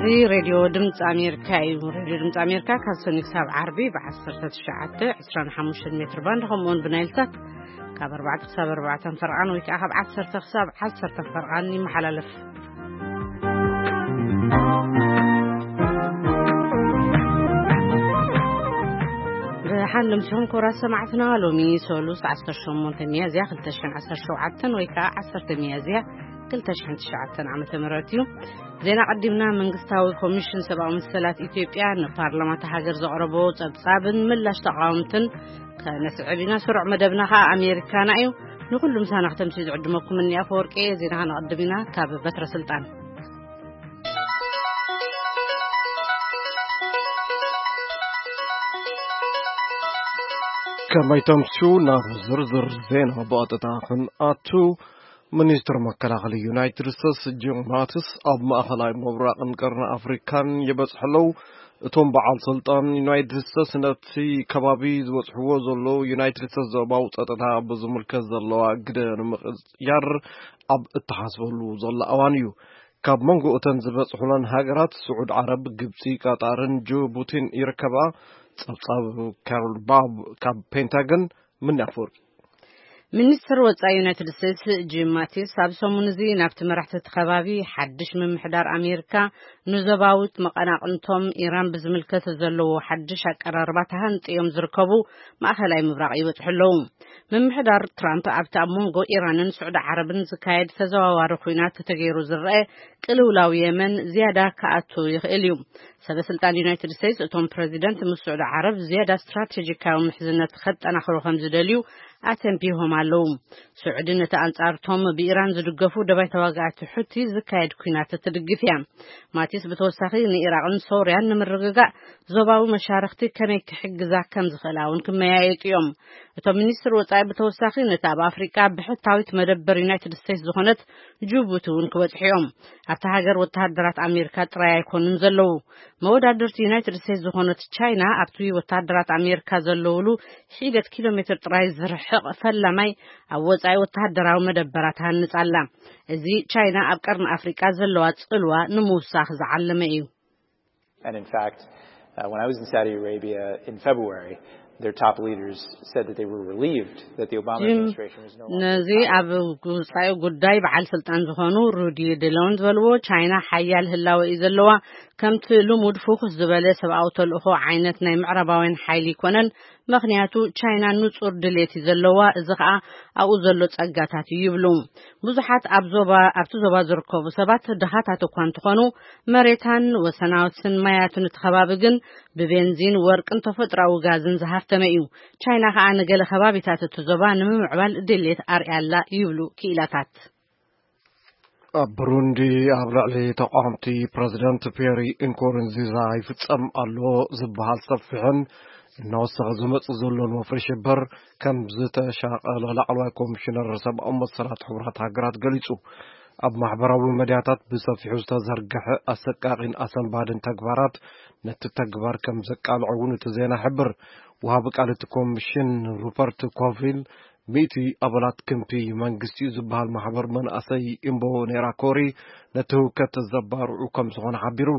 እዚ ሬድዮ ድምፂ ኣሜሪካ እዩ። ሬድዮ ድምፂ ኣሜሪካ ካብ ሰኒ ክሳብ ዓርቢ ብ19፣ 25 ሜትር ባንድ፣ ከምኡውን ብናይልሳት ካብ ኣርባዕተ ክሳብ ኣርባዕተ ፈርቓን ወይ ከዓ ካብ ዓሰርተ ክሳብ ዓሰርተ ፈርቓን ይመሓላለፍ። ብሓንድምስኹም ክቡራት ሰማዕትና፣ ሎሚ ሰሉስ ዓሰርተ ሸሞንተ ሚያዝያ ክልተ ሽሕን ዓሰርተ ሸውዓተን ወይ ከዓ ዓሰርተ ሚያዝያ ክልተ ሽሕን ትሽዓተን ዓመተ ምህረት እዩ። ዜና ቀዲምና። መንግስታዊ ኮሚሽን ሰብኣዊ መሰላት ኢትዮጵያ ንፓርላማ እታ ሃገር ዘቕረቦ ጸብጻብን ምላሽ ተቓወምትን ከነስዕብ ኢና። ስሩዕ መደብና ከኣ ኣሜሪካና እዩ። ንኹሉ ምሳና ክተምሲ ዝዕድመኩም እኒ ኣፈወርቂ። ዜና ከነቐድም ኢና ካብ በትረ ስልጣን። ከመይ ተምስዩ? ናብ ዝርዝር ዜና ብቐጥታ ክንኣቱ። ሚኒስትር መከላኸሊ ዩናይትድ ስቴትስ ጂም ማቲስ ኣብ ማእኸላይ ምብራቕን ቀርኒ ኣፍሪካን ይበፅሑ ኣለዉ። እቶም በዓል ስልጣን ዩናይትድ ስቴትስ ነቲ ከባቢ ዝበፅሕዎ ዘለዉ ዩናይትድ ስቴትስ ዞባዊ ፀጥታ ብዝምልከት ዘለዋ ግደ ንምቕያር ኣብ እተሓስበሉ ዘሎ እዋን እዩ። ካብ መንጎ እተን ዝበፅሑለን ሃገራት ስዑድ ዓረብ፣ ግብፂ፣ ቀጣርን ጅቡቲን ይርከባ። ፀብፃብ ካሮል ባብ ካብ ፔንታገን። ምን ኣፈወርቂ። ሚኒስትር ወጻኢ ዩናይትድ ስቴትስ ጂም ማቲስ ኣብ ሰሙን እዚ ናብቲ መራሕቲ እቲ ከባቢ ሓድሽ ምምሕዳር ኣሜሪካ ንዞባዊት መቐናቕንቶም ኢራን ብዝምልከት ዘለዎ ሓድሽ ኣቀራርባ ተሃንጥዮም ዝርከቡ ማእኸላይ ምብራቕ ይበጽሑ ኣለዉ። ምምሕዳር ትራምፕ ኣብቲ ኣብ መንጎ ኢራንን ስዑዲ ዓረብን ዝካየድ ተዘዋዋሪ ኲናት ተተገይሩ ዝረአ ቅልውላው የመን ዝያዳ ክኣቱ ይኽእል እዩ። ሰበ ስልጣን ዩናይትድ ስቴትስ እቶም ፕረዚደንት ምስ ስዑዲ ዓረብ ዝያዳ ስትራቴጂካዊ ምሕዝነት ከጠናኽሩ ከም ዝደልዩ ኣተንቢሆም ኣለዉ። ስዑዲ ነቲ ኣንጻርቶም ብኢራን ዝድገፉ ደባይ ተዋጋእቲ ሑቲ ዝካየድ ኲናት ትድግፍ እያ። ማቲስ ብተወሳኺ ንኢራቕን ሶርያን ንምርግጋእ ዞባዊ መሻርኽቲ ከመይ ክሕግዛ ከም ዝኽእላ እውን ክመያየጡ እዮም። እቶም ሚኒስትር ወጻኢ ብተወሳኺ ነቲ ኣብ ኣፍሪቃ ብሕታዊት መደበር ዩናይትድ ስቴትስ ዝኾነት ጅቡቲ እውን ክበጽሑ እዮም። ኣብታ ሃገር ወተሃደራት ኣሜሪካ ጥራይ ኣይኮኑን ዘለዉ። መወዳድርቲ ዩናይትድ ስቴትስ ዝኾነት ቻይና ኣብቲ ወተሃደራት ኣሜሪካ ዘለውሉ ሒደት ኪሎ ሜትር ጥራይ ዝርሕቕ ፈላማይ ኣብ ወጻኢ ወተሃደራዊ መደበራ ትሃንጽ ኣላ። እዚ ቻይና ኣብ ቀርኒ ኣፍሪቃ ዘለዋ ጽልዋ ንምውሳኽ ዝዓለመ እዩ። And in fact, uh, when I was in Saudi Arabia in February, their top leaders said that they were relieved that the Obama ጂም፣ administration was no longer ነዚ ኣብ ውጻኢ ጉዳይ በዓል ስልጣን ዝኾኑ ሩዲ ዲሎን ዝበልዎ፣ ቻይና ሓያል ህላወ እዩ ዘለዋ። ከምቲ ልሙድ ፍኹስ ዝበለ ሰብኣዊ ተልእኾ ዓይነት ናይ ምዕራባውያን ሓይሊ ይኮነን። ምኽንያቱ ቻይና ንጹር ድሌት እዩ ዘለዋ። እዚ ኸኣ ኣብኡ ዘሎ ጸጋታት እዩ ይብሉ። ብዙሓት ኣብ ዞባ፣ ኣብቲ ዞባ ዝርከቡ ሰባት ድኻታት እኳ እንተኾኑ፣ መሬታን ወሰናውትን ማያትን እቲ ከባቢ ግን ብቤንዚን፣ ወርቅን ተፈጥሮኣዊ ጋዝን ዝሃፍተመ እዩ። ቻይና ኸኣ ንገለ ከባቢታት እቲ ዞባ ንምምዕባል ድሌት ኣርኣያ ኣላ ይብሉ ክኢላታት። ኣብ ብሩንዲ ኣብ ልዕሊ ተቃወምቲ ፕረዚደንት ፒየሪ ኢንኮሩንዚዛ ይፍጸም ኣሎ ዝበሃል ሰፊሕን እናወሰኸ ዝመጽእ ዘሎን ወፍሪ ሽብር ከም ዝተሻቐለ ላዕለዋይ ኮሚሽነር ሰብኣዊ መሰላት ሕቡራት ሃገራት ገሊጹ። ኣብ ማሕበራዊ መድያታት ብሰፊሑ ዝተዘርግሐ ኣሰቃቒን ኣሰንባድን ተግባራት ነቲ ተግባር ከም ዘቃልዖ እውን እቲ ዜና ይሕብር። ወሃቢ ቃል እቲ ኮሚሽን ሩፐርት ኮቪል፣ ሚእቲ ኣባላት ክንፊ መንግስቲ እዩ ዝበሃል ማሕበር መናእሰይ ኢምቦ ኔራኮሪ ነቲ ህውከት ዘባርዑ ከም ዝኾነ ሓቢሩ።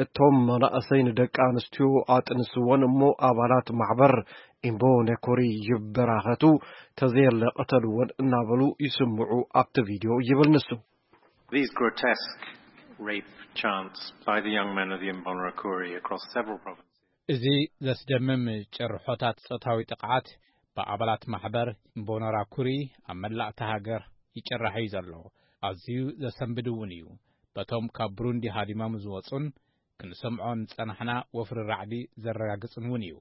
እቶም መናእሰይ ንደቂ ኣንስትዮ ኣጥንስወን እሞ ኣባላት ማሕበር ኢምቦ ኔኮሪ ይበራኸቱ፣ ተዘየለ ቅተልወን እናበሉ ይስምዑ ኣብቲ ቪድዮ ይብል ንሱ። These grotesque rape chants by the young men of the Imbonerakure across several provinces. እዚ ዘስደምም ጭርሖታት ጾታዊ ጥቕዓት ብኣባላት ማሕበር ኢምቦነራኩሪ ኣብ መላእ እታ ሃገር ይጭራሕ እዩ ዘሎ። ኣዝዩ ዘሰንብድ እውን እዩ። በቶም ካብ ብሩንዲ ሃዲሞም ዝወጹን ክንሰምዖ ዝጸናሕና ወፍሪ ራዕዲ ዘረጋግጽን እውን እዩ።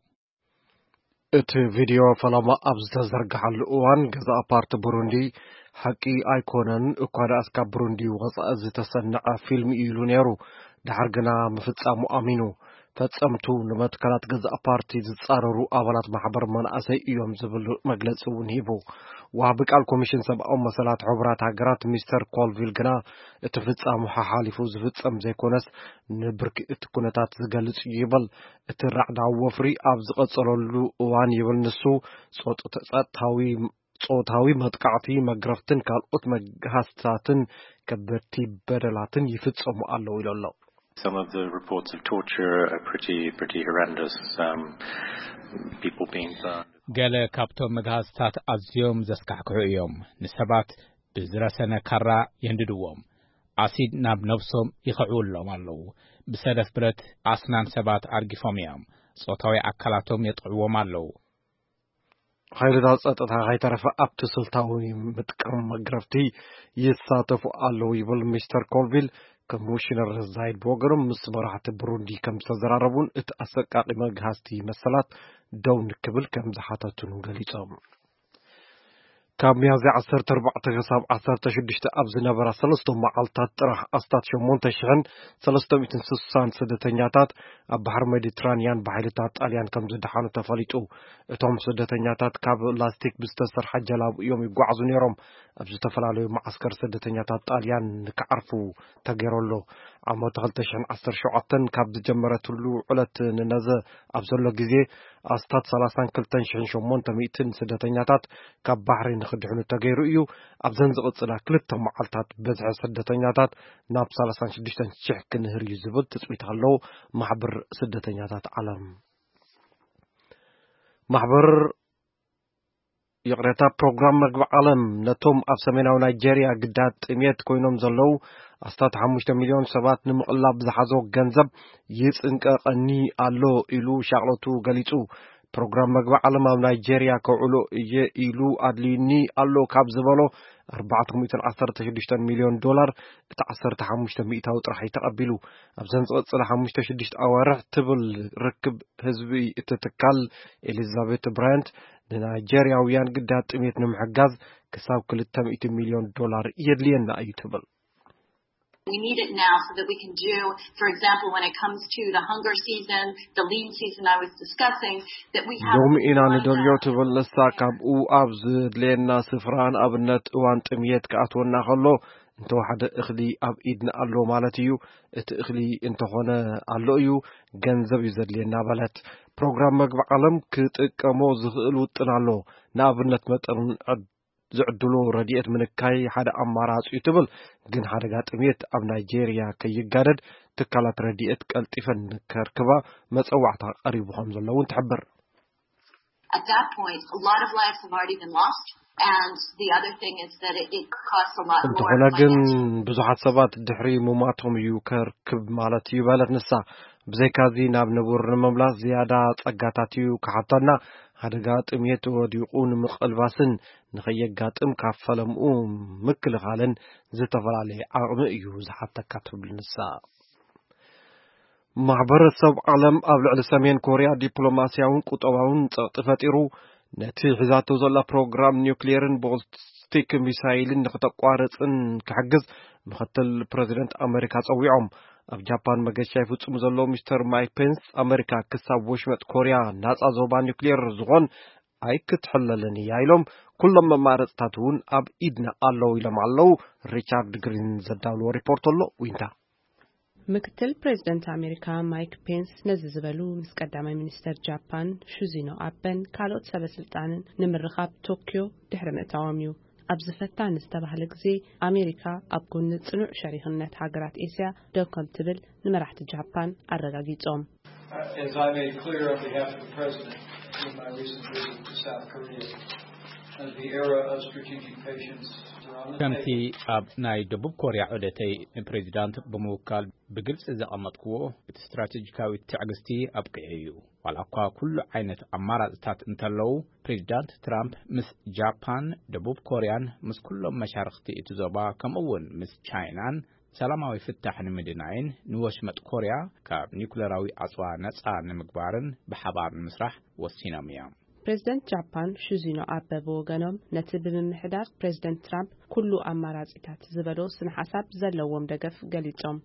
እቲ ቪድዮ ፈለማ ኣብ ዝተዘርግሓሉ እዋን፣ ገዛእ ፓርቲ ብሩንዲ፣ ሓቂ ኣይኮነን፣ እኳ ደኣስ ካብ ብሩንዲ ወጻኢ ዝተሰንዐ ፊልም እዩ ኢሉ ነይሩ። ድሓር ግና ምፍጻሙ ኣሚኑ። ፈጸምቱ ንመትከላት ገዛእ ፓርቲ ዝጻረሩ ኣባላት ማሕበር መናእሰይ እዮም ዝብል መግለጺ እውን ሂቡ። ወሃቢ ቃል ኮሚሽን ሰብኣዊ መሰላት ሕቡራት ሃገራት ሚስተር ኮልቪል ግና፣ እቲ ፍጻሙ ሓሓሊፉ ዝፍጸም ዘይኮነስ፣ ንብርኪ እቲ ኩነታት ዝገልጽ እዩ ይብል። እቲ ራዕዳዊ ወፍሪ ኣብ ዝቐጸለሉ እዋን ይብል ንሱ፣ ጾጥ-፣ ጸጥታዊ፣ ጾታዊ መጥቃዕቲ፣ መግረፍትን ካልኦት መግሃስታትን ከበድቲ በደላትን ይፍጸሙ ኣለዉ ኢሉ ኣሎ። Some of the reports of torture are pretty, pretty horrendous. Um, people being burned. ገለ ካብቶም መግሃዝታት ኣዝዮም ዘስካሕክሑ እዮም። ንሰባት ብዝረሰነ ካራ የንድድዎም። ኣሲድ ናብ ነብሶም ይኸዕውሎም ኣለዉ። ብሰደፍ ብረት ኣስናን ሰባት ኣርጊፎም እዮም። ጾታዊ ኣካላቶም የጥዕዎም ኣለዉ። ሓይልታት ጸጥታ ከይተረፈ ኣብቲ ስልታዊ ምጥቃም መግረፍቲ ይሳተፉ ኣለዉ ይብል ሚስተር ኮልቪል። ኮሚሽነር ዛይድ ብወገኖም ምስ መራሕቲ ብሩንዲ ከም ዝተዘራረቡን እቲ ኣሰቃቂ መግሃስቲ መሰላት ደው ንክብል ከም ዝሓተቱን ገሊጾም። ካብ ሚያዝያ ዓሰርተ ኣርባዕተ ክሳብ ዓሰርተ ሽዱሽተ ኣብ ዝነበራ ሰለስተ መዓልታት ጥራሕ ኣስታት ሸሞንተ ሽሕን ሰለስተ ሚእትን ስሳን ስደተኛታት ኣብ ባሕሪ ሜዲትራንያን ብሓይልታት ጣልያን ከም ዝደሓኑ ተፈሊጡ። እቶም ስደተኛታት ካብ ላስቲክ ብዝተሰርሐ ጀላቡ እዮም ይጓዓዙ ነይሮም። ኣብ ዝተፈላለዩ መዓስከር ስደተኛታት ጣልያን ንክዓርፉ ተገይሩ ኣሎ። ዓመት ክልተ ሽሕን ዓሰርተ ሸውዓተን ካብ ዝጀመረትሉ ዕለት ንነዘ ኣብ ዘሎ ግዜ ኣስታት ሰላሳን ክልተን ሽሕን ሸሞንተ ሚእትን ስደተኛታት ካብ ባሕሪ ንክድሕኑ ተገይሩ እዩ። ኣብዘን ዝቕጽላ ክልተ መዓልታት ብዝሒ ስደተኛታት ናብ ሰላሳን ሽዱሽተን ሽሕ ክንህር እዩ ዝብል ትጽቢት ኣለዎ ማሕበር ስደተኛታት ዓለም። ማሕበር ይቕሬታ፣ ፕሮግራም መግቢ ዓለም ነቶም ኣብ ሰሜናዊ ናይጄርያ ግዳት ጥሜት ኮይኖም ዘለዉ ኣስታት ሓሙሽተ ሚልዮን ሰባት ንምቕላብ ዝሓዞ ገንዘብ ይጽንቀቐኒ ኣሎ ኢሉ ሻቕሎቱ ገሊጹ። ፕሮግራም መግቢ ዓለም ኣብ ናይጄርያ ከውዕሎ እየ ኢሉ ኣድልዩኒ ኣሎ ካብ ዝበሎ ኣርባዕተ ሚእትን ዓሰርተ ሽዱሽተን ሚልዮን ዶላር እቲ ዓሰርተ ሓሙሽተ ሚእታዊ ጥራሕ እዩ ተቐቢሉ። ኣብዘን ዝቐጽላ ሓሙሽተ ሽዱሽተ ኣዋርሕ ትብል ርክብ ህዝቢ እቲ ትካል ኤሊዛቤት ብራያንት ንናይጄርያውያን ግዳት ጥሜት ንምሕጋዝ ክሳብ ክልተ ሚእቲ ሚልዮን ዶላር የድልየና እዩ ትብል። We need it now so that we can do, for example, when it comes to the hunger season, the lean season I was discussing, that we have ሎሚ ኢና ንደልዮ ትብል ንሳ። ካብኡ ኣብ ዝድልየና ስፍራ ንኣብነት እዋን ጥምየት ክኣትወና ከሎ እንተወሓደ እኽሊ ኣብ ኢድና ኣሎ ማለት እዩ። እቲ እኽሊ እንተኾነ ኣሎ እዩ፣ ገንዘብ እዩ ዘድልየና በለት። ፕሮግራም መግቢ ዓለም ክጥቀሞ ዝኽእል ውጥን ኣሎ። ንኣብነት መጠን ዕድ- ዝዕድሎ ረድኤት ምንካይ ሓደ ኣማራጺ እዩ ትብል። ግን ሓደጋ ጥሜት ኣብ ናይጄርያ ከይጋደድ ትካላት ረድኤት ቀልጢፈን ከርክባ መጸዋዕታ ቀሪቡ ከም ዘሎ እውን ትሕብር። At that point, a lot of lives have already been lost. And the other thing is that it, it costs a lot more እንተኾነ ግን ብዙሓት ሰባት ድሕሪ ሙማቶም እዩ ከርክብ ማለት እዩ በለት ንሳ። ብዘይካዚ ናብ ንቡር ንምምላስ ዝያዳ ጸጋታት እዩ ክሓተና። ሓደጋ ጥሜት ወዲቑ ንምቕልባስን ንኸየጋጥም ካብ ፈለምኡ ምክልኻልን ዝተፈላለየ ዓቕሚ እዩ ዝሓተካ ትብል ንሳ። ማሕበረሰብ ዓለም ኣብ ልዕሊ ሰሜን ኮርያ ዲፕሎማስያውን ቁጠባውን ጸቕጢ ፈጢሩ፣ ነቲ ሒዛቶ ዘላ ፕሮግራም ኒውክሌርን ቦሊስቲክ ሚሳይልን ንክተቋርጽን ክሕግዝ ምክትል ፕረዚደንት ኣመሪካ ጸዊዖም። ኣብ ጃፓን መገሻ ይፍጽሙ ዘለዉ ሚስተር ማይክ ፔንስ፣ ኣመሪካ ክሳብ ወሽመጥ ኮርያ ናጻ ዞባ ኒውክሌር ዝኾን ኣይክትሕለልን እያ ኢሎም፣ ኩሎም መማረጽታት እውን ኣብ ኢድና ኣለዉ ኢሎም ኣለዉ። ሪቻርድ ግሪን ዘዳለዎ ሪፖርት ኣሎ። ዊንታ ምክትል ፕሬዝደንት ኣሜሪካ ማይክ ፔንስ ነዚ ዝበሉ ምስ ቀዳማይ ሚኒስተር ጃፓን ሹዚኖ ኣበን ካልኦት ሰበ ስልጣንን ንምርኻብ ቶክዮ ድሕሪ ምእታዎም እዩ። ኣብዚ ፈታኒ ዝተባህለ ግዜ ኣሜሪካ ኣብ ጎኒ ጽኑዕ ሸሪክነት ሃገራት ኤስያ ደው ከም ትብል ንመራሕቲ ጃፓን ኣረጋጊጾም። As I made clear on behalf of the President in my recent visit to South Korea, the era of strategic patience is on the table. ከምቲ ኣብ ናይ ደቡብ ኮርያ ዑደተይ ንፕሬዚዳንት ብምውካል ብግልጺ ዘቐመጥክዎ፣ እቲ ስትራቴጂካዊ ትዕግስቲ ኣብቂዑ እዩ። ዋላ እኳ ኩሉ ዓይነት ኣማራጽታት እንተለዉ፣ ፕሬዚዳንት ትራምፕ ምስ ጃፓን፣ ደቡብ ኮርያን ምስ ኩሎም መሻርኽቲ እቲ ዞባ ከምኡ እውን ምስ ቻይናን ሰላማዊ ፍታሕ ንምድናይን ንወሽመጥ ኮርያ ካብ ኒኩለራዊ ኣጽዋ ነጻ ንምግባርን ብሓባር ንምስራሕ ወሲኖም እዮም። ፕሬዝደንት ጃፓን ሹዚኖ ኣበ ብወገኖም ነቲ ብምምሕዳር ፕሬዝደንት ትራምፕ ኩሉ ኣማራጺታት ዝበሎ ስነ ሓሳብ ዘለዎም ደገፍ ገሊጾም።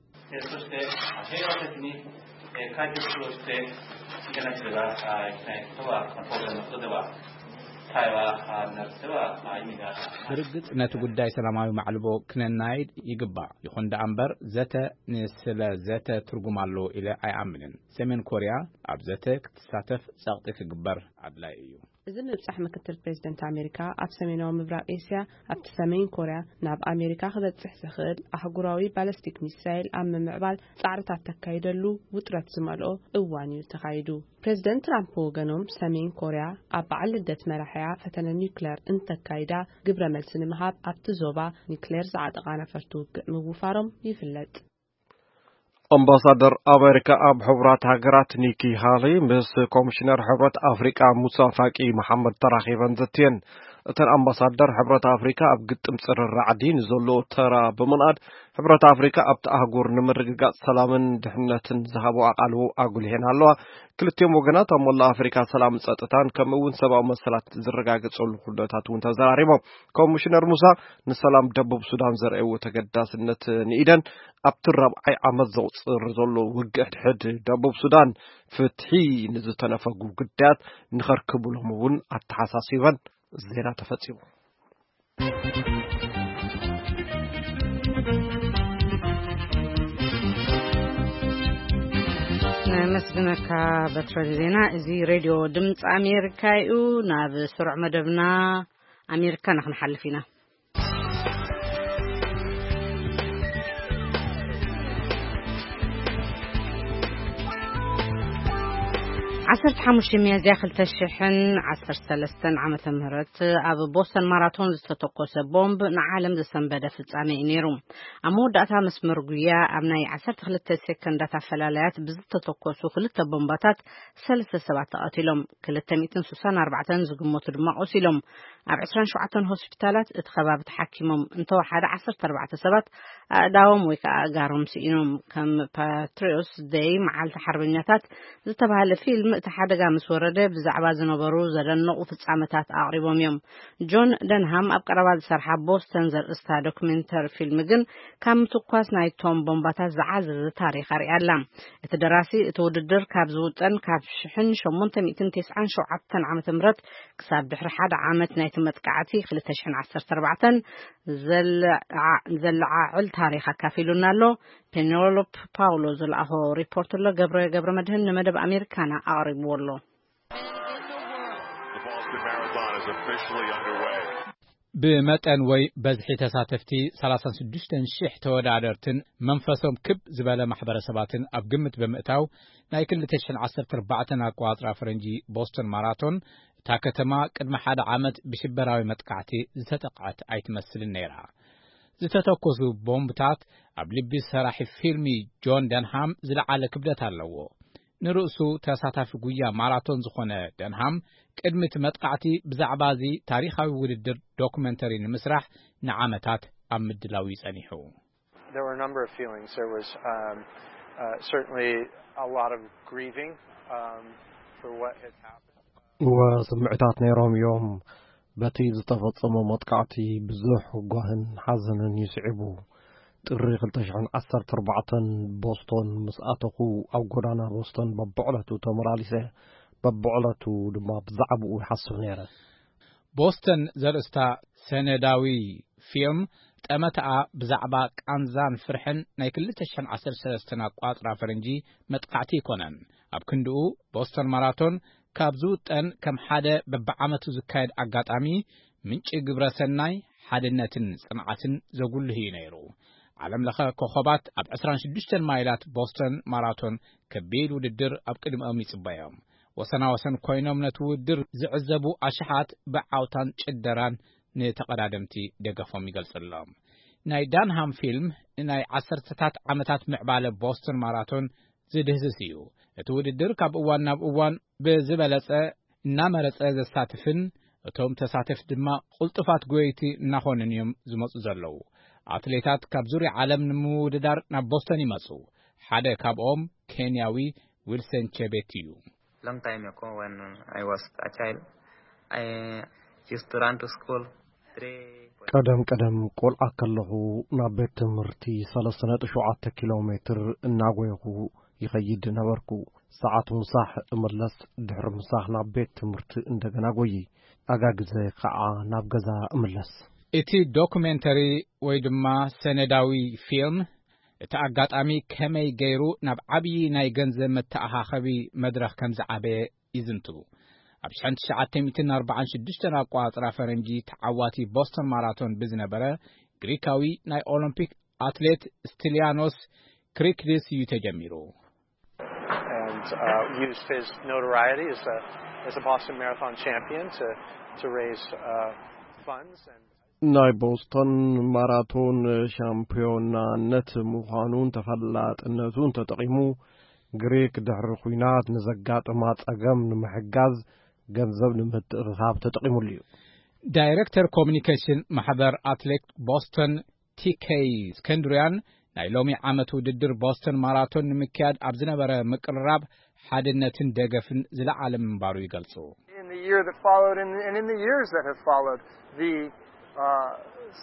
ብርግጽ ነቲ ጉዳይ ሰላማዊ ማዕልቦ ክነናይድ ይግባእ። ይኹን ደኣ እምበር ዘተ ንስለ ዘተ ትርጉም ኣለዎ ኢለ ኣይኣምንን። ሰሜን ኮርያ ኣብ ዘተ ክትሳተፍ ጸቕጢ ክግበር ኣድላይ እዩ። እዚ ምብጻሕ ምክትል ፕሬዚደንት ኣሜሪካ፣ ኣብ ሰሜናዊ ምብራቕ ኤስያ፣ ኣብቲ ሰሜን ኮርያ፣ ናብ ኣሜሪካ ክበጽሕ ዝኽእል ኣህጉራዊ ባለስቲክ ሚሳይል ኣብ ምምዕባል ጻዕርታት ተካይደሉ ውጥረት ዝመልኦ እዋን እዩ ተኻይዱ። ፕሬዚደንት ትራምፕ ብወገኖም፣ ሰሜን ኮርያ ኣብ በዓል ልደት መራሒኣ ፈተነ ኒውክለር እንተካይዳ፣ ግብረ መልሲ ንምሃብ ኣብቲ ዞባ ኒውክሌር ዝዓጠቓ ነፈርቲ ውግእ ምውፋሮም ይፍለጥ። ኣምባሳደር ኣሜሪካ ኣብ ሕቡራት ሃገራት ኒኪ ሃሊ ምስ ኮሚሽነር ሕብረት ኣፍሪቃ ሙሳ ፋቂ መሓመድ ተራኺበን ዘትየን። እተን ኣምባሳደር፣ ሕብረት ኣፍሪካ ኣብ ግጥም ጽርሪ ራዕዲ ንዘለዎ ተራ ብምንኣድ፣ ሕብረት ኣፍሪካ ኣብቲ ኣህጉር ንምርግጋጽ ሰላምን ድሕነትን ዝሃቦ ኣቓልቦ ኣጉሊሐን ኣለዋ። ክልቲኦም ወገናት ኣብ መላእ ኣፍሪካ ሰላምን ጸጥታን፣ ከምኡ እውን ሰብኣዊ መሰላት ዝረጋገጸሉ ኩነታት እውን ተዘራሪቦም። ኮሚሽነር ሙሳ፣ ንሰላም ደቡብ ሱዳን ዘርእዎ ተገዳስነት ንኢደን፣ ኣብቲ ራብዓይ ዓመት ዘቑጽር ዘሎ ውግእ ሕድሕድ ደቡብ ሱዳን፣ ፍትሒ ንዝተነፈጉ ግዳያት ንኸርክቡሎም እውን ኣተሓሳሲበን። ዜና ተፈጺሙ። ነመስግነካ በትረ ዜና። እዚ ሬድዮ ድምፂ ኣሜሪካ እዩ። ናብ ስሩዕ መደብና ኣሜሪካ ንክንሓልፍ ኢና። ዓሰርተ ሓሙሽተ ሚያዝያ ክልተ ሽሕን ዓሰርተ ሰለስተን ዓመተ ምህረት ኣብ ቦስተን ማራቶን ዝተተኮሰ ቦምብ ንዓለም ዘሰንበደ ፍጻመ እዩ ነይሩ። ኣብ መወዳእታ መስመር ጉያ ኣብ ናይ ዓሰርተ ክልተ ሴኮንዳት ኣፈላላያት ብዝተተኮሱ ክልተ ቦምባታት ሰለስተ ሰባት ተቐቲሎም፣ ክልተ ሚእትን ስሳን ኣርባዕተን ዝግመቱ ድማ ቆሲሎም። ኣብ ዕስራን ሸውዓተን ሆስፒታላት እቲ ከባቢ ተሓኪሞም እንተወሓደ ዓሰርተ ኣርባዕተ ሰባት ኣእዳዎም ወይ ከዓ ኣእጋሮም ስኢኖም። ከም ፓትሪዮትስ ደይ፣ መዓልቲ ሓርበኛታት፣ ዝተባህለ ፊልም፣ እቲ ሓደጋ ምስ ወረደ ብዛዕባ ዝነበሩ ዘደነቑ ፍጻመታት ኣቕሪቦም እዮም። ጆን ደንሃም ኣብ ቀረባ ዝሰርሓ ቦስተን ዘርእስታ ዶክሜንተሪ ፊልም ግን ካብ ምትኳስ ናይቶም ቦምባታት ዝዓዘዘ ታሪኽ ኣርእያ ኣላ። እቲ ደራሲ፣ እቲ ውድድር ካብ ዝውጠን ካብ ሽሕን ሸሞንተ ሚእትን ተስዓን ሸውዓተን ዓመተ ምህረት ክሳብ ድሕሪ ሓደ ዓመት ናይቲ መጥቃዕቲ ክልተ ሽሕን ዓሰርተ ኣርባዕተን ዘለዓ-፣ ዘለዓዕል ታሪኽ ኣካፊሉና ኣሎ። ፔኔሎፕ ፓውሎ ዝለኣኾ ሪፖርት ኣሎ። ገብረ፣ ገብረ መድህን ንመደብ ኣሜሪካና ኣቕሪብዎ ኣሎ። The Boston Marathon is officially underway. ብመጠን ወይ በዝሒ ተሳተፍቲ ሰላሳን ሽዱሽተን ሽሕ ተወዳደርትን መንፈሶም ክብ ዝበለ ማሕበረሰባትን ኣብ ግምት ብምእታው፣ ናይ ክልተ ሽሕን ዓሰርተ ኣርባዕተን ኣቆጻጽራ ፈረንጂ ቦስተን ማራቶን፣ እታ ከተማ ቅድሚ ሓደ ዓመት ብሽበራዊ መጥቃዕቲ ዝተጠቕዐት ኣይትመስልን ነይራ። ዝተተኮሱ ቦምብታት ኣብ ልቢ ሰራሒ ፊልሚ ጆን ደንሃም ዝለዓለ ክብደት ኣለዎ። ንርእሱ ተሳታፊ ጉያ ማራቶን ዝኾነ ደንሃም፣ ቅድሚ እቲ መጥቃዕቲ ብዛዕባ እዚ ታሪኻዊ ውድድር ዶኩመንተሪ ንምስራሕ ንዓመታት ኣብ ምድላው እዩ ጸኒሑ። There were a number of feelings. There was, um, uh, certainly a lot of grieving, um, for what had happened. እወ፣ ስምዕታት ነይሮም እዮም። በቲ ዝተፈጸመ መጥቃዕቲ ብዙሕ ጓህን ሓዘንን እዩ ስዒቡ። ጥሪ ክልተ ሽሕን ዓሰርተ ኣርባዕተን ቦስቶን ምስ ኣተኹ፣ ኣብ ጎዳና ቦስቶን በብዕለቱ ተመላሊሰ፣ በብዕለቱ ድማ ብዛዕባኡ ይሓስብ ነይረ። ቦስተን ዘርእስታ ሰነዳዊ ፊልም፣ ጠመተኣ ብዛዕባ ቃንዛን ፍርሕን ናይ ክልተ ሽሕን ዓሰርተ ሰለስተን ኣቋጽራ ፈረንጂ መጥቃዕቲ ኣይኮነን። ኣብ ክንድኡ፣ ቦስተን ማራቶን ካብ ዝውጠን ከም ሓደ በብዓመቱ ዝካየድ ኣጋጣሚ፣ ምንጪ ግብረ ሰናይ፣ ሓድነትን ጽንዓትን ዘጉልህ እዩ ነይሩ። ዓለም ለኸ ኮኸባት ኣብ ዕስራን ሽዱሽተን ማይላት ቦስተን ማራቶን ከቢድ ውድድር ኣብ ቅድሚኦም ይጽበዮም። ወሰናወሰን ኮይኖም ነቲ ውድድር ዝዕዘቡ ኣሽሓት ብዓውታን ጭደራን ንተቐዳደምቲ ደገፎም ይገልጽሎም። ናይ ዳንሃም ፊልም ንናይ ዓሰርተታት ዓመታት ምዕባለ ቦስተን ማራቶን ዝድህስስ እዩ። እቲ ውድድር ካብ እዋን ናብ እዋን ብዝበለጸ እናመረጸ ዘሳትፍን እቶም ተሳተፍቲ ድማ ቅልጡፋት ጎየይቲ እናኾኑን እዮም ዝመጹ ዘለዉ። ኣትሌታት ካብ ዙርያ ዓለም ንምውድዳር ናብ ቦስተን ይመጹ። ሓደ ካብኦም ኬንያዊ ዊልሰን ቼቤት እዩ። Long time ago, when I was a child, I used to run to school three point ቀደም ቀደም ቆልዓ ከለኹ ናብ ቤት ትምህርቲ ሰለስተ ነጥቢ ሸውዓተ ኪሎ ሜትር እናጎየኹ ይኸይድ ነበርኩ። ሰዓት ምሳሕ እምለስ፣ ድሕሪ ምሳሕ ናብ ቤት ትምህርቲ እንደገና ጎይይ፣ ኣጋግዘ ከዓ ናብ ገዛ እምለስ። እቲ ዶኩሜንተሪ ወይ ድማ ሰነዳዊ ፊልም፣ እቲ ኣጋጣሚ ከመይ ገይሩ ናብ ዓብዪ ናይ ገንዘብ መተኣኻኸቢ መድረኽ ከም ዝዓበየ ይዝንቱ። ኣብ ሽሕን ትሽዓተ ሚእትን ኣርባዓን ሽዱሽተን ኣቋጽራ ፈረንጂ ተዓዋቲ ቦስተን ማራቶን ብዝነበረ ግሪካዊ ናይ ኦሎምፒክ ኣትሌት ስቲሊያኖስ ክሪክዲስ እዩ ተጀሚሩ። And uh, used his notoriety as a, as a Boston Marathon champion to, to raise uh, funds. And ናይ ቦስተን ማራቶን ሻምፒዮናነት ምዃኑን ተፈላጥነቱን ተጠቒሙ፣ ግሪክ ድሕሪ ኲናት ንዘጋጠማ ጸገም ንምሕጋዝ ገንዘብ ንምትእኽኻብ ተጠቒሙሉ እዩ። ዳይረክተር ኮሚኒኬሽን ማሕበር ኣትሌት ቦስተን ቲኬይ እስከንድርያን፣ ናይ ሎሚ ዓመት ውድድር ቦስተን ማራቶን ንምክያድ ኣብ ዝነበረ ምቅርራብ ሓድነትን ደገፍን ዝለዓለ ምንባሩ ይገልጹ። In the year that followed and, and in the years that have followed, the uh,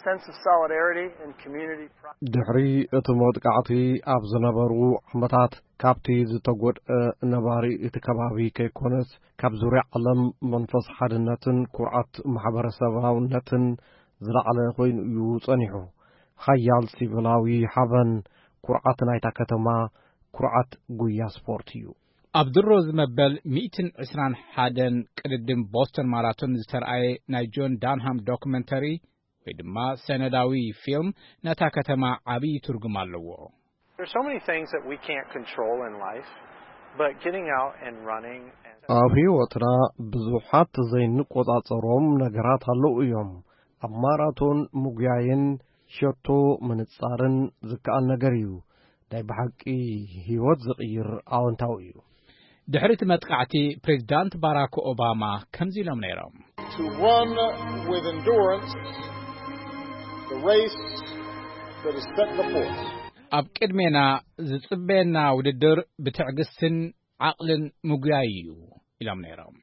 sense of solidarity and community pride. ድሕሪ እቲ መጥቃዕቲ ኣብ ዝነበሩ ዓመታት፣ ካብቲ ዝተጎድአ ነባሪ እቲ ከባቢ ከይኮነስ፣ ካብ ዙርያ ዓለም መንፈስ ሓድነትን ኩርዓት ማሕበረሰባውነትን ዝለዓለ ኮይኑ እዩ ጸኒሑ። ሓያል ሲቪላዊ ሓበን፣ ኩርዓት ናይታ ከተማ፣ ኩርዓት ጉያ ስፖርት እዩ። ኣብ ድሮ ዝመበል ሚእትን ዕስራን ሓደን ቅድድም ቦስተን ማራቶን ዝተርኣየ ናይ ጆን ዳንሃም ዶክመንተሪ ወይ ድማ ሰነዳዊ ፊልም ነታ ከተማ ዓብዪ ትርጉም ኣለዎ። There's so many things that we can't control in life, but getting out and running and ኣብ ህይወትና ብዙሓት ዘይንቆጻጸሮም ነገራት ኣለዉ እዮም። ኣብ ማራቶን ምጉያይን ሸቶ ምንጻርን ዝከኣል ነገር እዩ። ናይ ብሓቂ ህይወት ዝቕይር ኣወንታዊ እዩ። ድሕሪ እቲ መጥቃዕቲ ፕሬዚዳንት ባራክ ኦባማ ከምዚ ኢሎም ነይሮም። To run with endurance the race that is set before us. ኣብ ቅድሜና ዝጽበየና ውድድር ብትዕግስትን ዓቕልን ምጉያይ እዩ ኢሎም ነይሮም።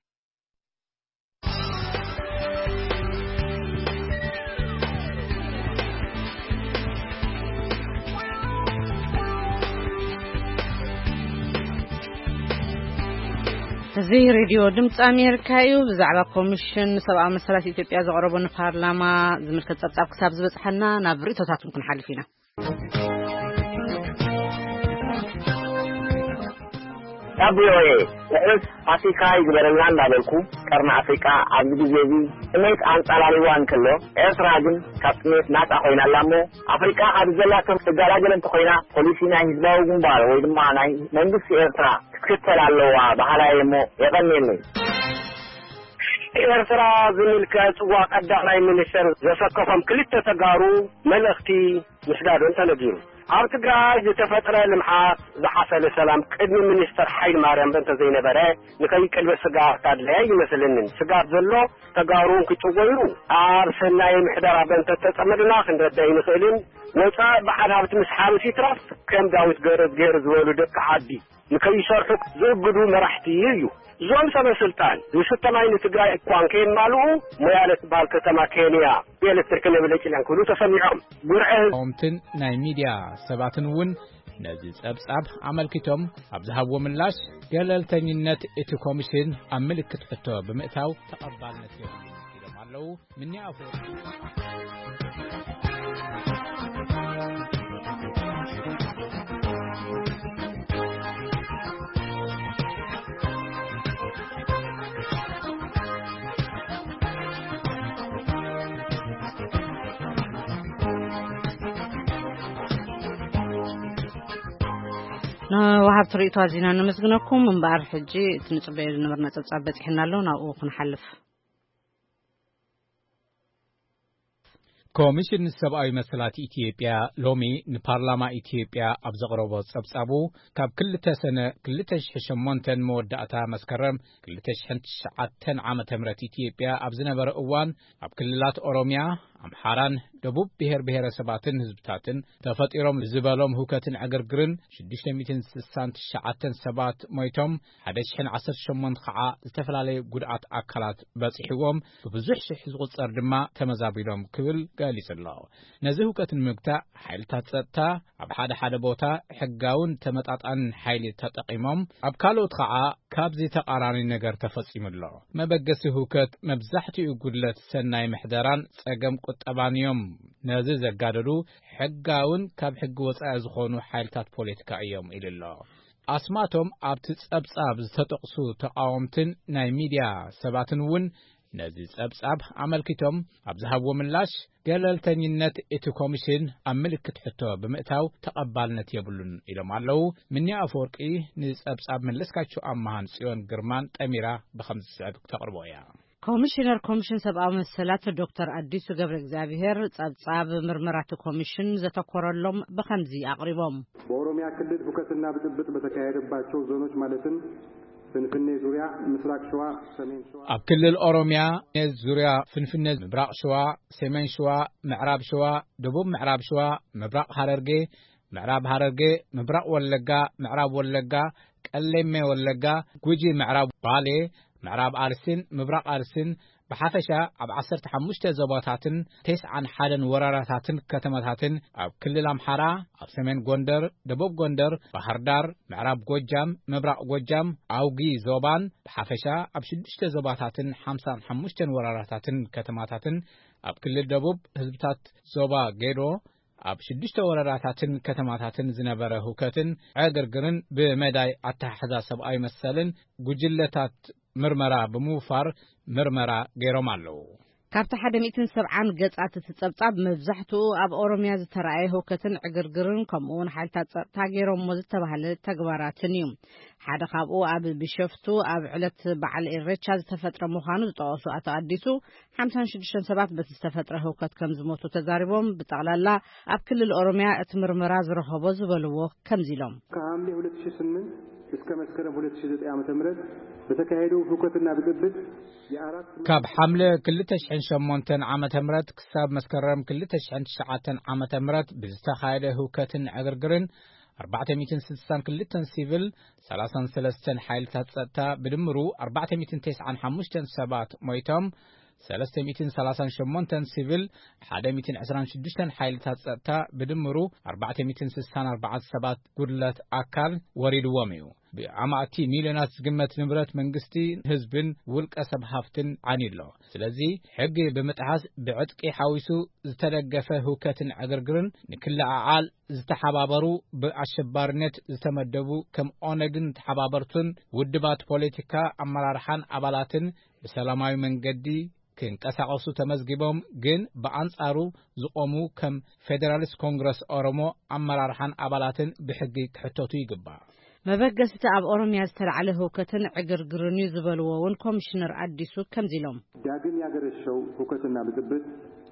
እዚ ሬድዮ ድምፂ ኣሜሪካ እዩ። ብዛዕባ ኮሚሽን ሰብኣዊ መሰላት ኢትዮጵያ ዘቕረቦ ንፓርላማ ዝምልከት ጸብጻብ ክሳብ ዝበጽሓና ናብ ርእቶታትኩም ክንሓልፍ ኢና። ካብ ቪኦኤ ትሕት ፋሲካ ይግበረልና እንዳበልኩ፣ ቀርኒ ኣፍሪቃ ኣብዚ ግዜ እዚ ጥሜት ኣንጻላልዋ እንከሎ፣ ኤርትራ ግን ካብ ጥሜት ናጻ ኮይና ኣላ እሞ፣ ኣፍሪቃ ካብ ዘላቶ ትገላገል እንተኮይና፣ ፖሊሲ ናይ ህዝባዊ ግንባር ወይ ድማ ናይ መንግስቲ ኤርትራ ክትክተል ኣለዋ በሃላይ እሞ፣ የቐንየለይ። ኤርትራ ዝምልከት ጽዋ ቀዳማይ ሚኒስትር ዘሰከፎም ክልተ ተጋሩ መልእኽቲ ምስዳዶም ተነጊሩ። ኣብ ትግራይ ዝተፈጥረ ልምዓት ዝሓሰለ ሰላም ቅድሚ ሚኒስተር ሓይለ ማርያም እንተዘይነበረ ንኸይቅልበስ ስግኣት ኣድላይ ኣይመስለንን። ስግኣት ዘሎ ተጋሩ ክጭወይሩ ኣብ ሰናይ ምሕደራ በእንተ ተጸመድና ክንረዳ ኣይንኽእልን። ወጻኢ በዓል ሃብቲ ምስ ሓብስ ይትረፍ ከም ዳዊት ገረዝ ገይሩ ዝበሉ ደቂ ዓዲ ንከይሰርሑ ዝእግዱ መራሕቲ እዩ። እዞም ሰበ ስልጣን ዝስተ ማይ ንትግራይ እኳ እንከየማልኡ ሞያለ ትበሃል ከተማ ኬንያ ብኤሌክትሪክ ነብለጭልያን ክብሉ ተሰሚዖም። ጉርዐ ህዝቢ ተቃወምትን ናይ ሚድያ ሰባትን እውን ነዚ ጸብጻብ ኣመልኪቶም ኣብ ዝሃብዎ ምላሽ፣ ገለልተኝነት እቲ ኮሚሽን ኣብ ምልክት ሕቶ ብምእታው ተቐባልነት የብሉን ኢሎም ኣለዉ። ምኒ ኣፈወርቂ ንወሃብቲ ርእይቶ ኣዚና ነመስግነኩም። እምበኣር ሕጂ እቲ ንጽበዮ ዝነበርና ጸብጻብ በጺሕና ኣሎ፣ ናብኡ ክንሓልፍ። ኮሚሽን ሰብኣዊ መሰላት ኢትዮጵያ ሎሚ ንፓርላማ ኢትዮጵያ ኣብ ዘቕረቦ ጸብጻቡ፣ ካብ ክልተ ሰነ ክልተ ሽሕን ሸሞንተን መወዳእታ መስከረም ክልተ ሽሕን ትሽዓተን ዓመተ ምህረት ኢትዮጵያ ኣብ ዝነበረ እዋን፣ ኣብ ክልላት ኦሮሚያ፣ ኣምሓራን ደቡብ ብሔር ብሔረሰባትን ህዝብታትን ተፈጢሮም ዝበሎም ህውከትን ዕግርግርን ሽዱሽተ ሚእትን ስሳን ትሽዓተን ሰባት ሞይቶም፣ ሓደ ሽሕን ዓሰርተ ሸሞንተ ኸዓ ዝተፈላለዩ ጉድኣት ኣካላት በጺሕዎም፣ ብብዙሕ ሽሕ ዝቑጸር ድማ ተመዛቢሎም ክብል ገሊጹ ኣሎ። ነዚ ህውከት ንምግታእ ሓይልታት ጸጥታ ኣብ ሓደ ሓደ ቦታ ሕጋውን ተመጣጣንን ሓይሊ ተጠቒሞም፣ ኣብ ካልኦት ኸዓ ካብዚ ተቓራኒ ነገር ተፈጺሙ ኣሎ። መበገሲ ህውከት መብዛሕትኡ ጉድለት ሰናይ ምሕደራን ጸገም ቁጠባን እዮም። ነዚ ዘጋደዱ ሕጋውን ካብ ሕጊ ወጻኢ ዝኾኑ ሓይልታት ፖለቲካ እዮም ኢሉ ኣሎ። ኣስማቶም ኣብቲ ጸብጻብ ዝተጠቕሱ ተቓወምትን ናይ ሚድያ ሰባትን እውን ነዚ ጸብጻብ ኣመልኪቶም ኣብ ዝሃብዎ ምላሽ፣ ገለልተኝነት እቲ ኮሚሽን ኣብ ምልክት ሕቶ ብምእታው ተቐባልነት የብሉን ኢሎም ኣለዉ። ምንያ ኣፈወርቂ ንጸብጻብ መለስካቸው ኣማሃን ጽዮን ግርማን ጠሚራ ብኸምዚ ዝስዕብ ክተቕርቦ እያ። ኮሚሽነር ኮሚሽን ሰብኣዊ መሰላት ዶክተር ኣዲሱ ገብረ እግዚኣብሔር ጸብጻብ ምርመራቲ ኮሚሽን ዘተኮረሎም ብኸምዚ ኣቕሪቦም። በኦሮሚያ ክልል ሁከትና ብጥብጥ በተካሄደባቸው ዞኖች ማለትም ፍንፍኔ ዙሪያ፣ ምስራቅ ሸዋ፣ ሰሜን ሸዋ፣ ኣብ ክልል ኦሮሚያ ዙሪያ ፍንፍኔ፣ ምብራቕ ሸዋ፣ ሰሜን ሸዋ፣ ምዕራብ ሸዋ፣ ደቡብ ምዕራብ ሸዋ፣ ምብራቕ ሃረርጌ፣ ምዕራብ ሃረርጌ፣ ምብራቕ ወለጋ፣ ምዕራብ ወለጋ፣ ቀሌሜ ወለጋ፣ ጉጂ፣ ምዕራብ ባሌ፣ ምዕራብ ኣርሲን ምብራቕ ኣርሲን ብሓፈሻ ኣብ ዓሰርተ ሓሙሽተ ዞባታትን ተስዓን ሓደን ወረዳታትን ከተማታትን ኣብ ክልል ኣምሓራ፣ ኣብ ሰሜን ጎንደር፣ ደቡብ ጎንደር፣ ባህርዳር፣ ምዕራብ ጎጃም፣ ምብራቕ ጎጃም፣ ኣውጊ ዞባን ብሓፈሻ ኣብ ሽዱሽተ ዞባታትን ሓምሳን ሓሙሽተን ወረዳታትን ከተማታትን ኣብ ክልል ደቡብ ህዝብታት ዞባ ጌዶ ኣብ ሽዱሽተ ወረዳታትን ከተማታትን ዝነበረ ህውከትን ዕግርግርን ብመዳይ ኣተሓሕዛ ሰብኣዊ መሰልን ጉጅለታት ምርመራ ብምውፋር ምርመራ ገይሮም ኣለዉ። ካብቲ ሓደ ሚእትን ሰብዓን ገጻት እቲ ጸብጻብ መብዛሕትኡ ኣብ ኦሮሚያ ዝተራእየ ህውከትን ዕግርግርን ከምኡ እውን ሓይልታት ጸጥታ ገይሮሞ ዝተባህለ ተግባራትን እዩ። ሓደ ካብኡ ኣብ ቢሸፍቱ ኣብ ዕለት በዓል ኢሬቻ ዝተፈጥረ ምዃኑ ዝጠቐሱ ኣቶ ኣዲሱ ሓምሳን ሽዱሽተን ሰባት በቲ ዝተፈጥረ ህውከት ከም ዝሞቱ ተዛሪቦም፣ ብጠቕላላ ኣብ ክልል ኦሮሚያ እቲ ምርመራ ዝረኸቦ ዝበልዎ ከምዚ ኢሎም። ከሐምሌ ሁለት ሺህ ስምንት እስከ መስከረም ሁለት ሺህ ዘጠኝ ዓመተ ምህረት በተካሄደው ሁከትና ብጥብጥ የአራት ካብ ሓምለ ክልተ ሽሕን ሸሞንተን ዓመተ ምህረት ክሳብ መስከረም ክልተ ሽሕን ትሽዓተን ዓመተ ምህረት ብዝተኻየደ ህውከትን ዕግርግርን ኣርባዕተ ሚእትን ስልሳን ክልተን ሲቪል፣ ሰላሳን ሰለስተን ሓይልታት ጸጥታ ብድምሩ ኣርባዕተ ሚእትን ተስዓን ሓሙሽተን ሰባት ሞይቶም፣ ሰለስተ ሚእትን ሰላሳን ሸሞንተን ሲቪል፣ ሓደ ሚእትን ዕስራን ሽዱሽተን ሓይልታት ጸጥታ ብድምሩ ኣርባዕተ ሚእትን ስሳን ኣርባዓን ሰባት ጉድለት ኣካል ወሪድዎም እዩ። ብኣማእቲ ሚልዮናት ዝግመት ንብረት መንግስቲ፣ ህዝብን ውልቀ ሰብ ሃፍትን ዓንዩ ኣሎ። ስለዚ ሕጊ ብምጥሓስ ብዕጥቂ ሓዊሱ ዝተደገፈ ህውከትን ዕግርግርን ንክለዓዓል ዝተሓባበሩ ብኣሸባሪነት ዝተመደቡ ከም ኦነግን ተሓባበርቱን ውድባት ፖለቲካ ኣመራርሓን ኣባላትን ብሰላማዊ መንገዲ ክንቀሳቐሱ ተመዝጊቦም ግን ብኣንጻሩ ዝቖሙ ከም ፌደራሊስት ኮንግረስ ኦሮሞ ኣመራርሓን ኣባላትን ብሕጊ ክሕተቱ ይግባእ። መበገስቲ ኣብ ኦሮሚያ ዝተላዕለ ህውከትን ዕግርግርን እዩ ዝበልዎ እውን ኮሚሽነር ኣዲሱ ከምዚ ኢሎም። ዳግም ያገረሸው ሁከትና ብጥብጥ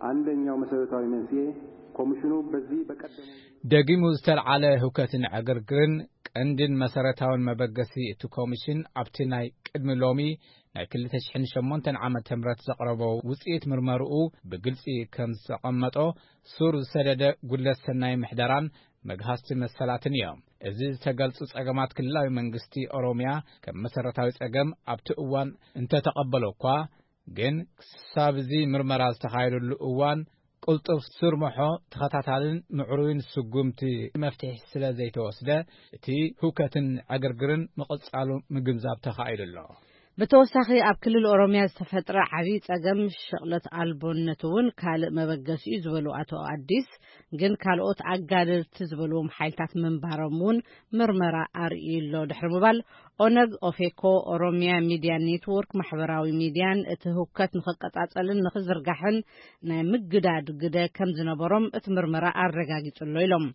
አንደኛው መሰረታዊ መንስኤ ኮሚሽኑ በዚህ በቀደመው ደጊሙ ዝተልዓለ ህውከትን ዕግርግርን ቀንድን መሰረታውን መበገሲ እቲ ኮሚሽን ኣብቲ ናይ ቅድሚ ሎሚ ናይ ክልተ ሽሕን ሸሞንተን ዓመተ ምህረት ዘቕረቦ ውጽኢት ምርመርኡ ብግልጺ ከም ዘቐመጦ ሱር ዝሰደደ ጉድለት ሰናይ ምሕደራን መግሃስቲ መሰላትን እዮም። እዚ ዝተገልጹ ጸገማት ክልላዊ መንግስቲ ኦሮሚያ ከም መሰረታዊ ጸገም ኣብቲ እዋን እንተተቐበሎ እኳ ግን ክሳብ እዚ ምርመራ ዝተኻየደሉ እዋን ቅልጡፍ ስርምሖ ተኸታታልን ምዕሩይን ስጉምቲ መፍትሒ ስለ ዘይተወስደ እቲ ህውከትን ዕግርግርን ምቕጻሉ ምግንዛብ ተኻኢሉ ኣሎ። ብተወሳኺ ኣብ ክልል ኦሮሚያ ዝተፈጥረ ዓብዪ ጸገም ሸቕለት ኣልቦነት እውን ካልእ መበገሲ እዩ ዝበሉ ኣቶ ኣዲስ ግን ካልኦት ኣጋደልቲ ዝበልዎም ሓይልታት ምንባሮም እውን ምርመራ ኣርእዩ ኣሎ ድሕሪ ምባል ኦነግ፣ ኦፌኮ፣ ኦሮሚያ ሚድያ ኔትወርክ ማሕበራዊ ሚድያን እቲ ህውከት ንኽቀጻጸልን ንኽዝርጋሕን ናይ ምግዳድ ግደ ከም ዝነበሮም እቲ ምርመራ ኣረጋጊጹ ኣሎ ኢሎም።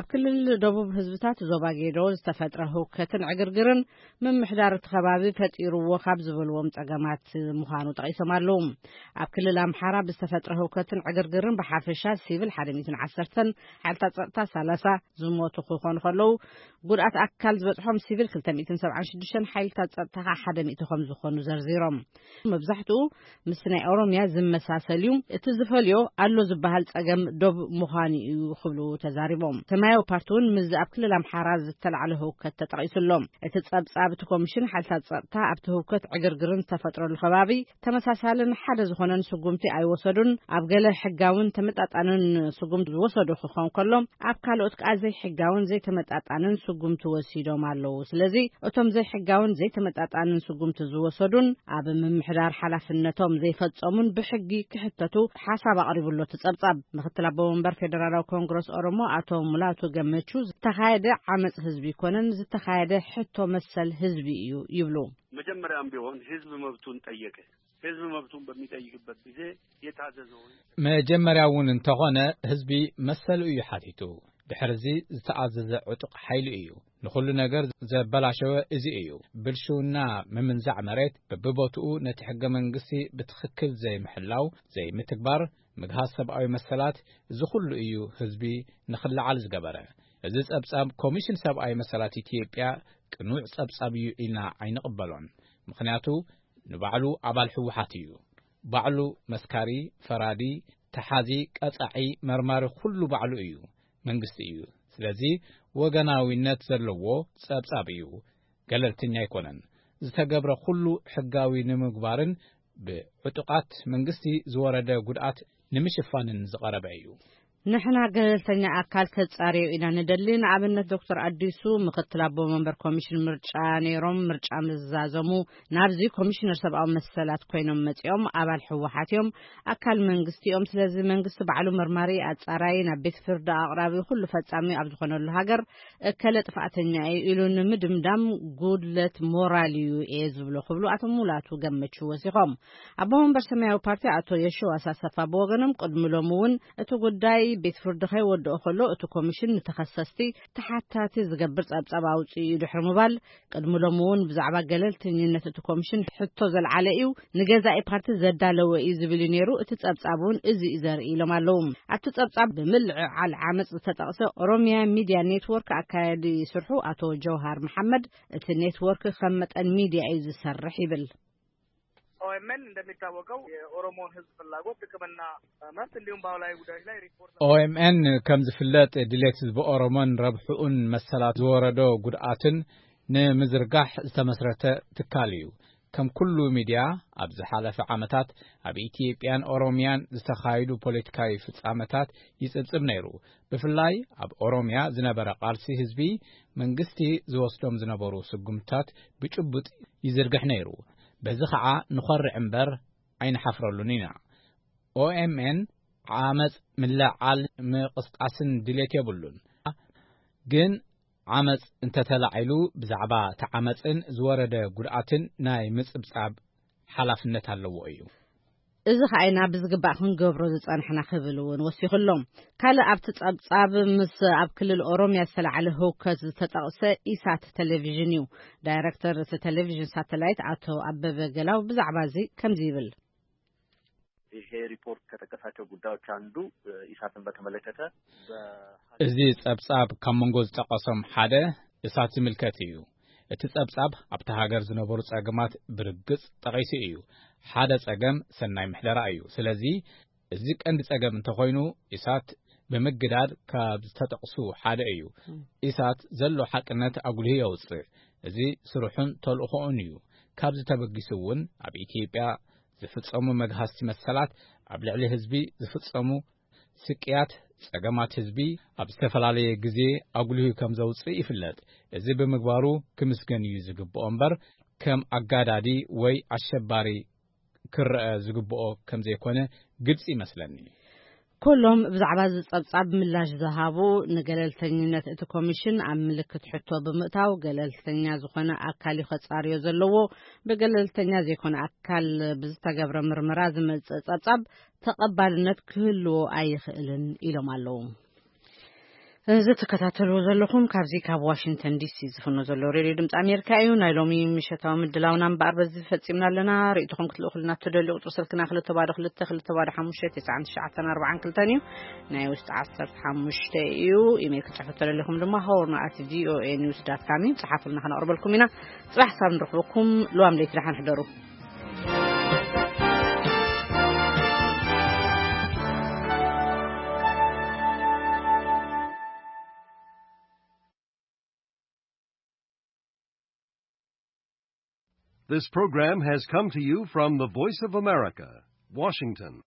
ኣብ ክልል ደቡብ ህዝብታት ዞባ ጌዶ ዝተፈጥረ ህውከትን ዕግርግርን ምምሕዳር እቲ ከባቢ ፈጢርዎ ካብ ዝበልዎም ጸገማት ምዃኑ ጠቒሶም ኣለዉ። ኣብ ክልል ኣምሓራ ብዝተፈጥረ ህውከትን ዕግርግርን ብሓፈሻ ሲቪል ሓደ ሚእትን ዓሰርተን ሓይልታት ጸጥታ ሰላሳ ዝሞቱ ክኾኑ ከለዉ ጉድኣት ኣካል ዝበጽሖም ሲቪል ክልተ ሚእትን ሰብዓን ሽዱሽተን ሓይልታት ጸጥታ ከኣ ሓደ ሚእቲ ከም ዝኾኑ ዘርዚሮም። መብዛሕትኡ ምስ ናይ ኦሮሚያ ዝመሳሰል እዩ። እቲ ዝፈልዮ ኣሎ ዝበሃል ጸገም ዶብ ምዃኑ እዩ ክብሉ ተዛሪቦም። ሰማያዊ ፓርቲ እውን ምስዚ ኣብ ክልል ኣምሓራ ዝተላዕለ ህውከት ተጠቒሱ ኣሎ። እቲ ጸብጻብ እቲ ኮሚሽን ሓይልታት ጸጥታ ኣብቲ ህውከት ዕግርግርን ዝተፈጥረሉ ከባቢ ተመሳሳልን ሓደ ዝኾነን ስጉምቲ ኣይወሰዱን። ኣብ ገለ ሕጋውን ተመጣጣንን ስጉምቲ ዝወሰዱ ክኾን ከሎ ኣብ ካልኦት ከኣ ዘይሕጋውን ዘይተመጣጣንን ስጉምቲ ወሲዶም ኣለዉ። ስለዚ እቶም ዘይሕጋውን ዘይተመጣጣንን ስጉምቲ ዝወሰዱን ኣብ ምምሕዳር ሓላፍነቶም ዘይፈጸሙን ብሕጊ ክሕተቱ ሓሳብ ኣቕሪቡ ኣሎ እቲ ጸብጻብ። ምክትል ኣቦ መንበር ፌደራላዊ ኮንግረስ ኦሮሞ ኣቶ ሙላቱ ገመቹ፣ ዝተኻየደ ዓመጽ ህዝቢ ይኮነን፣ ዝተኻየደ ሕቶ መሰል ህዝቢ እዩ ይብሉ። መጀመሪያም ቢሆን ህዝብ መብቱን ጠየቀ። ህዝብ መብቱን በሚጠይቅበት ጊዜ የታዘዘውን መጀመርያ እውን እንተኾነ ህዝቢ መሰሉ እዩ ሓቲቱ። ድሕርዚ ዝተኣዘዘ ዕጡቕ ሓይሊ እዩ። ንኹሉ ነገር ዘበላሸወ እዚ እዩ። ብልሽውና፣ ምምንዛዕ መሬት፣ በብቦትኡ ነቲ ሕገ መንግስቲ ብትኽክል ዘይምሕላው፣ ዘይምትግባር፣ ምግሃስ ሰብኣዊ መሰላት፣ እዚ ኩሉ እዩ ህዝቢ ንኽለዓል ዝገበረ። እዚ ጸብጻብ ኮሚሽን ሰብኣዊ መሰላት ኢትዮጵያ ቅኑዕ ጸብጻብ እዩ ኢልና ኣይንቕበሎን። ምኽንያቱ ንባዕሉ ኣባል ህወሓት እዩ። ባዕሉ መስካሪ፣ ፈራዲ፣ ተሓዚ፣ ቀጻዒ፣ መርማሪ፣ ኩሉ ባዕሉ እዩ። መንግስቲ እዩ። ስለዚ ወገናዊነት ዘለዎ ጸብጻብ እዩ። ገለልተኛ ኣይኮነን። ዝተገብረ ኩሉ ሕጋዊ ንምግባርን ብዕጡቓት መንግስቲ ዝወረደ ጉድኣት ንምሽፋንን ዝቐረበ እዩ። ንሕና ገለልተኛ ኣካል ከጻርዮ ኢና ንደሊ። ንኣብነት ዶክተር ኣዲሱ ምክትል ኣቦ መንበር ኮሚሽን ምርጫ ነይሮም፣ ምርጫ ምዝዛዘሙ ናብዚ ኮሚሽነር ሰብኣዊ መሰላት ኮይኖም መጺኦም ኣባል ህወሓት እዮም፣ ኣካል መንግስቲ እዮም። ስለዚ መንግስቲ ባዕሉ መርማሪ፣ ኣጻራይ፣ ናብ ቤት ፍርዲ ኣቕራቢ፣ ኩሉ ፈጻሚ ኣብ ዝኾነሉ ሃገር እከለ ጥፋእተኛ እዩ ኢሉ ንምድምዳም ጉድለት ሞራል እዩ እየ ዝብሎ ክብሉ ኣቶ ሙላቱ ገመቹ ወሲኾም። ኣቦ መንበር ሰማያዊ ፓርቲ ኣቶ የሸዋስ ኣሰፋ ብወገኖም ቅድሚ ሎሚ እውን እቲ ጉዳይ ቤት ፍርዲ ከይወድኦ ከሎ እቲ ኮሚሽን ንተኸሰስቲ ተሓታቲ ዝገብር ጸብጻብ ኣውጽኡ እዩ ድሕሪ ምባል ቅድሚ ሎሚ እውን ብዛዕባ ገለልተኝነት እቲ ኮሚሽን ሕቶ ዘልዓለ እዩ፣ ንገዛኢ ፓርቲ ዘዳለወ እዩ ዝብል እዩ ነይሩ፣ እቲ ጸብጻብ እውን እዚ እዩ ዘርኢ ኢሎም ኣለዉ። ኣብቲ ጸብጻብ ብምልዕዓል ዓመጽ ዝተጠቕሰ ኦሮሚያ ሚድያ ኔትወርክ ኣካያዲ ስርሑ ኣቶ ጀውሃር መሓመድ እቲ ኔትወርክ ከም መጠን ሚድያ እዩ ዝሰርሕ ይብል። ኦኤምኤን እንደሚታወቀው የኦሮሞን ህዝብ ፍላጎት ጥቅምና መብት እንዲሁም ባህላዊ ጉዳዮች ላይ ሪፖርት ኦኤምኤን ከም ዝፍለጥ ድሌት ህዝቢ ኦሮሞን ረብሕኡን መሰላት ዝወረዶ ጉድኣትን ንምዝርጋሕ ዝተመስረተ ትካል እዩ። ከም ኩሉ ሚድያ ኣብ ዝሓለፈ ዓመታት ኣብ ኢትዮጵያን ኦሮሚያን ዝተኻየዱ ፖለቲካዊ ፍጻመታት ይጽብጽብ ነይሩ። ብፍላይ ኣብ ኦሮሚያ ዝነበረ ቃልሲ ህዝቢ መንግስቲ ዝወስዶም ዝነበሩ ስጉምትታት ብጭቡጥ ይዝርግሕ ነይሩ። በዚ ኸዓ ንኾርዕ እምበር ኣይንሓፍረሉን ኢና። ኦኤምኤን ዓመጽ ምልዕዓል ምቕስቃስን ድሌት የብሉን። ግን ዓመጽ እንተተላዒሉ ብዛዕባ እቲ ዓመጽን ዝወረደ ጉድኣትን ናይ ምጽብጻብ ሓላፍነት ኣለዎ እዩ። እዚ ኸዓ ኢና ብዝግባእ ክንገብሮ ዝጸንሕና ክብል እውን ወሲኹ ኣሎ። ካልእ ኣብቲ ጸብጻብ ምስ ኣብ ክልል ኦሮሚያ ዝተላዕለ ህውከት ዝተጠቕሰ ኢሳት ቴሌቪዥን እዩ። ዳይረክተር እቲ ቴሌቪዥን ሳተላይት ኣቶ ኣበበ ገላው ብዛዕባ እዚ ከምዚ ይብል። ይሄ ሪፖርት ከጠቀሳቸው ጉዳዮች አንዱ ኢሳትን በተመለከተ እዚ ጸብጻብ ካብ መንጎ ዝጠቐሶም ሓደ እሳት ዝምልከት እዩ። እቲ ጸብጻብ ኣብቲ ሃገር ዝነበሩ ጸገማት ብርግጽ ጠቒሱ እዩ። ሓደ ጸገም ሰናይ ምሕደራ እዩ። ስለዚ እዚ ቀንዲ ጸገም እንተኾይኑ ኢሳት ብምግዳድ ካብ ዝተጠቕሱ ሓደ እዩ። ኢሳት ዘሎ ሓቅነት ኣጉሊሁ የውጽእ። እዚ ስርሑን ተልእኾኡን እዩ። ካብዚ ተበጊሱ እውን ኣብ ኢትዮጵያ ዝፍጸሙ መግሃስቲ መሰላት፣ ኣብ ልዕሊ ህዝቢ ዝፍጸሙ ስቅያት፣ ጸገማት ህዝቢ ኣብ ዝተፈላለየ ግዜ ኣጉሊሁ ከም ዘውጽእ ይፍለጥ። እዚ ብምግባሩ ክምስገን እዩ ዝግብኦ እምበር ከም ኣጋዳዲ ወይ ኣሸባሪ ክረአ ዝግብኦ ከም ዘይኮነ ግልጺ ይመስለኒ። ኩሎም ብዛዕባ እዚ ጸብጻብ ምላሽ ዝሃቡ ንገለልተኝነት እቲ ኮሚሽን ኣብ ምልክት ሕቶ ብምእታው ገለልተኛ ዝኾነ ኣካል እዩ ከጻርዮ ዘለዎ። ብገለልተኛ ዘይኮነ ኣካል ብዝተገብረ ምርመራ ዝመጽእ ጸብጻብ ተቐባልነት ክህልዎ ኣይኽእልን ኢሎም ኣለዉ። እዚ ትከታተልዎ ዘለኹም ካብዚ ካብ ዋሽንግተን ዲሲ ዝፍኖ ዘሎ ሬድዮ ድምፂ ኣሜሪካ እዩ። ናይ ሎሚ ምሸታዊ ምድላውና እምበኣር በዚ ፈፂምና ኣለና። ርእይቶኹም ክትልእኹልና እትደልዩ ቁፅሪ ስልክና ክልተ ባዶ ክልተ ክልተ ባዶ ሓሙሽተ ትስዓን ትሽዓተን ኣርባዓን ክልተን እዩ። ናይ ውሽጢ ዓሰርተ ሓሙሽተ እዩ። ኢሜይል ክትፅሕፉ እተደሊኹም ድማ ሆርን ኣት ቪኦኤ ኒውስ ዳት ካም እዩ። ፀሓፉልና፣ ከነቕርበልኩም ኢና። ፅባሕ ክሳብ ንረኽበኩም ልዋም ለይቲ ደሓን ሕደሩ። This program has come to you from the Voice of America, Washington.